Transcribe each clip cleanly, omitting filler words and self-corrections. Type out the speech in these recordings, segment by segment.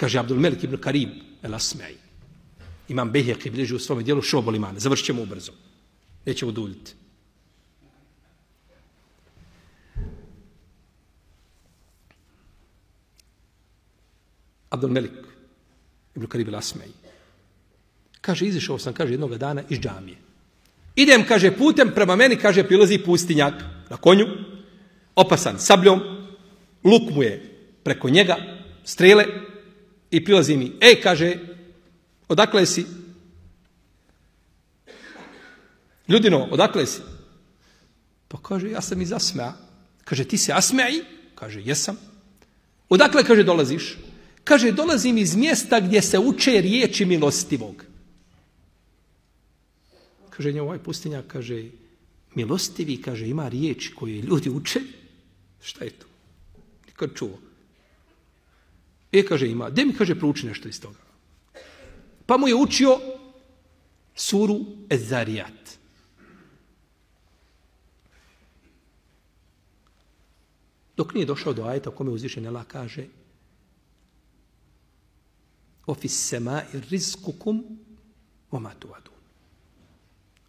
Kaže Abdul Melik ibn Karim el-Asma'i. Imam Bejheqi bilježi u svome dijelu Šu'abul Imana. Završit ćemo ubrzo. Nećemo duljiti. Abdul Melik ibn Karim el-Asma'i. Kaže, izišao sam, kaže, jednog dana iz džamije. Idem, kaže, putem prema meni, kaže, prilazi pustinjak na konju, opasan sabljom, luk mu je preko njega, strele, i prilazi mi, kaže, odakle si? Ljudino, odakle si? Pa kaže, ja sam iz Asma'a. Kaže, ti se Asma'i? Kaže, jesam. Odakle, kaže, dolaziš? Kaže, dolazim iz mjesta gdje se uče riječi milostivog. Kaže, nje ovaj pustinjak, kaže, milostivi, kaže, ima riječi koje ljudi uče. Šta je to? Nikad čuo. Kaže, ima. Gdje mi, kaže, prouči nešto iz toga? Pa mu je učio suru Ez-Zarijat. Dok nije došao do ajeta u kome uzvišeni Allah kaže Ofis semai rizkukum vama tuadun.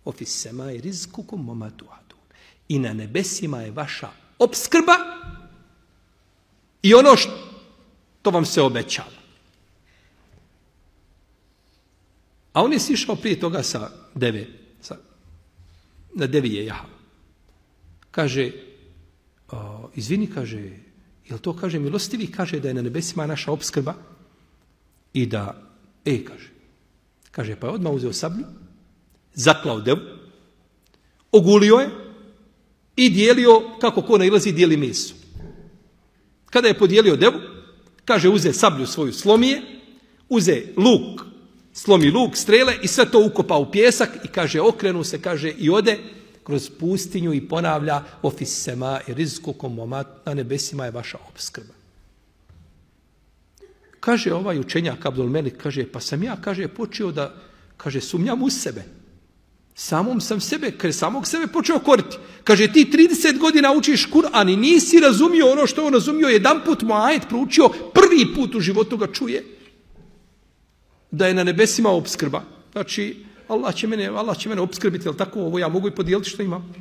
Ofis semai rizkukum vama tuadun. I na nebesima je vaša opskrba i ono što vam se obećava. A on je sišao prije toga sa deve, na devi je jahao. Kaže, izvini, kaže, jel to, kaže, milostivi, kaže da je na nebesima naša opskrba i da, kaže, pa je odmah uzeo sablju, zaklao devu, ogulio je i dijelio, kako ko nailazi, dijeli meso. Kada je podijelio devu, kaže, uze sablju svoju, slomije, uze luk, slomi luk, strele i sve to ukopa u pjesak i kaže, okrenu se, kaže, i ode kroz pustinju i ponavlja ofis sema i rizkukom momat, na nebesima je vaša opskrba. Kaže ovaj učenjak Abdul Melik, kaže, pa sam ja, kaže, počeo da, kaže, sumnjam u sebe. Samom sam sebe, kaže, samog sebe počeo koriti. Kaže, ti 30 godina učiš Kur'an i nisi razumio ono što on razumio, jedan put mu ajet proučio, prvi put u životu ga čuje da je na nebesima opskrba. Znači, Allah će mene opskrbiti, jel tako, ovo ja mogu i podijeliti što imam.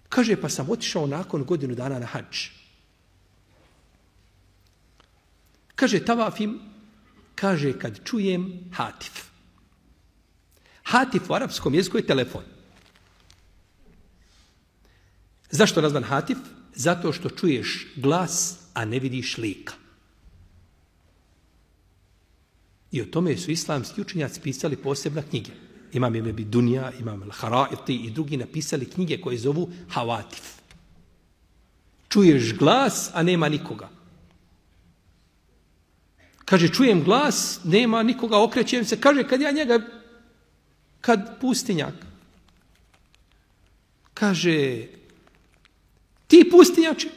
Kaže, pa sam otišao nakon godinu dana na hadž. Kaže, tavafim, kaže, kad čujem hatif. Hatif u arapskom jeziku je telefon. Zašto nazvan hatif? Zato što čuješ glas, a ne vidiš lika. I o tome su islamski učenjaci pisali posebna knjige. Imam Ibn Dunja, Imam Al-Haraiti i drugi napisali knjige koje zovu Havatif. Čuješ glas, a nema nikoga. Kaže, čujem glas, nema nikoga, okrećem se. Kaže, kad pustinjak. Kaže, ti pustinjače,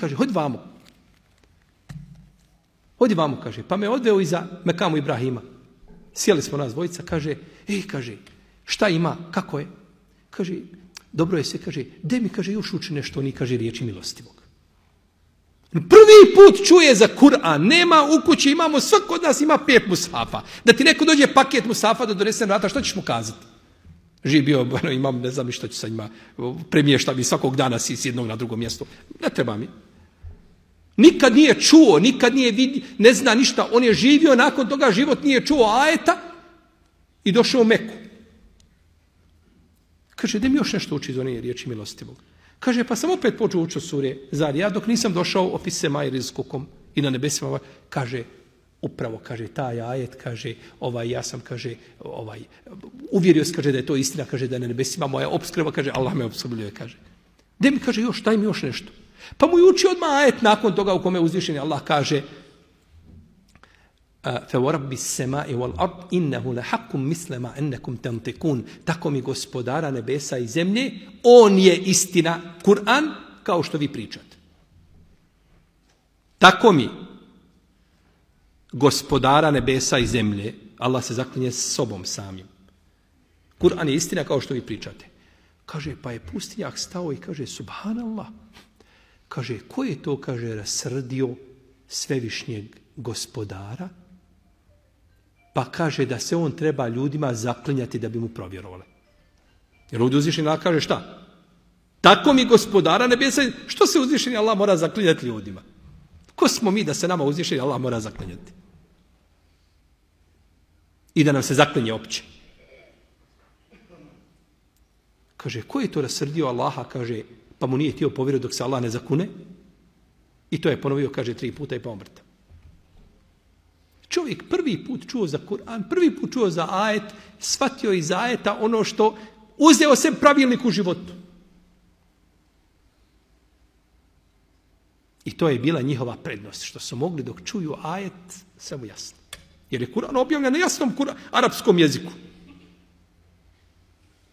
kaže, hodi vamo. Hodi vamo, kaže, pa me odveo iza Mekamu Ibrahima. Sjeli smo nas dvojica, kaže, kaže, šta ima, kako je? Kaže, dobro je se, kaže, gdje mi, kaže, još uči nešto, ni, kaže, riječi milostivog. Prvi put čuje za Kur'an, nema u kući, imamo, svako od nas ima 5 mushafa. Da ti neko dođe paket mushafa da donese na vrata, što ćeš mu kazati? Živ bio, imam, ne znam ni što ću sa njima, premješta mi svakog dana si s jednog na drugo mjesto. Ne treba mi. Nikad nije čuo, nikad nije vidio, ne zna ništa. On je živio, nakon toga život nije čuo ajeta i došao u Meku. Kaže, da mi još nešto uči iz one riječi milostivog. Kaže, pa sam opet počeo učiti sure Zarijat, dok nisam došao ofis sema i rizkukom i na nebesima. Kaže, upravo, kaže, taj ajet, kaže, ja sam, kaže, uvjerio se, kaže, da je to istina, kaže, da je na nebesima moja opskrba, kaže, Allah me opskrbljuje, kaže. Da mi, kaže, još, daj mi još nešto. Pa mu je učio odmah ajet nakon toga u kome uzvišeni Allah kaže فَوَرَبِّ السَّمَاءِ وَالْأَرْضِ إِنَّهُ لَحَقٌ مِثْلَ مَا أَنَّكُمْ تَنْتِقُونَ. Tako mi gospodara nebesa i zemlje, on je istina, Kur'an, kao što vi pričate. Tako mi gospodara nebesa i zemlje, Allah se zaklinje s sobom samim. Kur'an je istina kao što vi pričate. Kaže, pa je pustinjak stao i kaže, subhanallah. Kaže, ko je to, kaže, rasrdio svevišnjeg gospodara, pa kaže da se on treba ljudima zaklinjati da bi mu provjerovali. Jer ovdje uzvišeni Allah kaže šta? Tako mi gospodara nebesa, što se uzvišeni Allah mora zaklinjati ljudima? Ko smo mi da se nama uzvišeni Allah mora zaklinjati? I da nam se zaklinje opće. Kaže, ko je to rasrdio Allaha, kaže, pa mu nije htio povjerovati dok se Allah ne zakune? I to je ponovio, kaže, 3 puta i pa umrta. Čovjek prvi put čuo za Kur'an, prvi put čuo za ajet, shvatio iz ajeta ono što uzeo se pravilnik u životu. I to je bila njihova prednost, što su mogli dok čuju ajet, sve mu jasno. Jer je Kur'an objavljen na jasnom arapskom jeziku.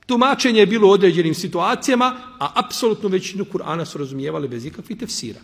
Tumačenje je bilo u određenim situacijama, a apsolutno većinu Kur'ana su razumijevali bez ikakvih tefsira.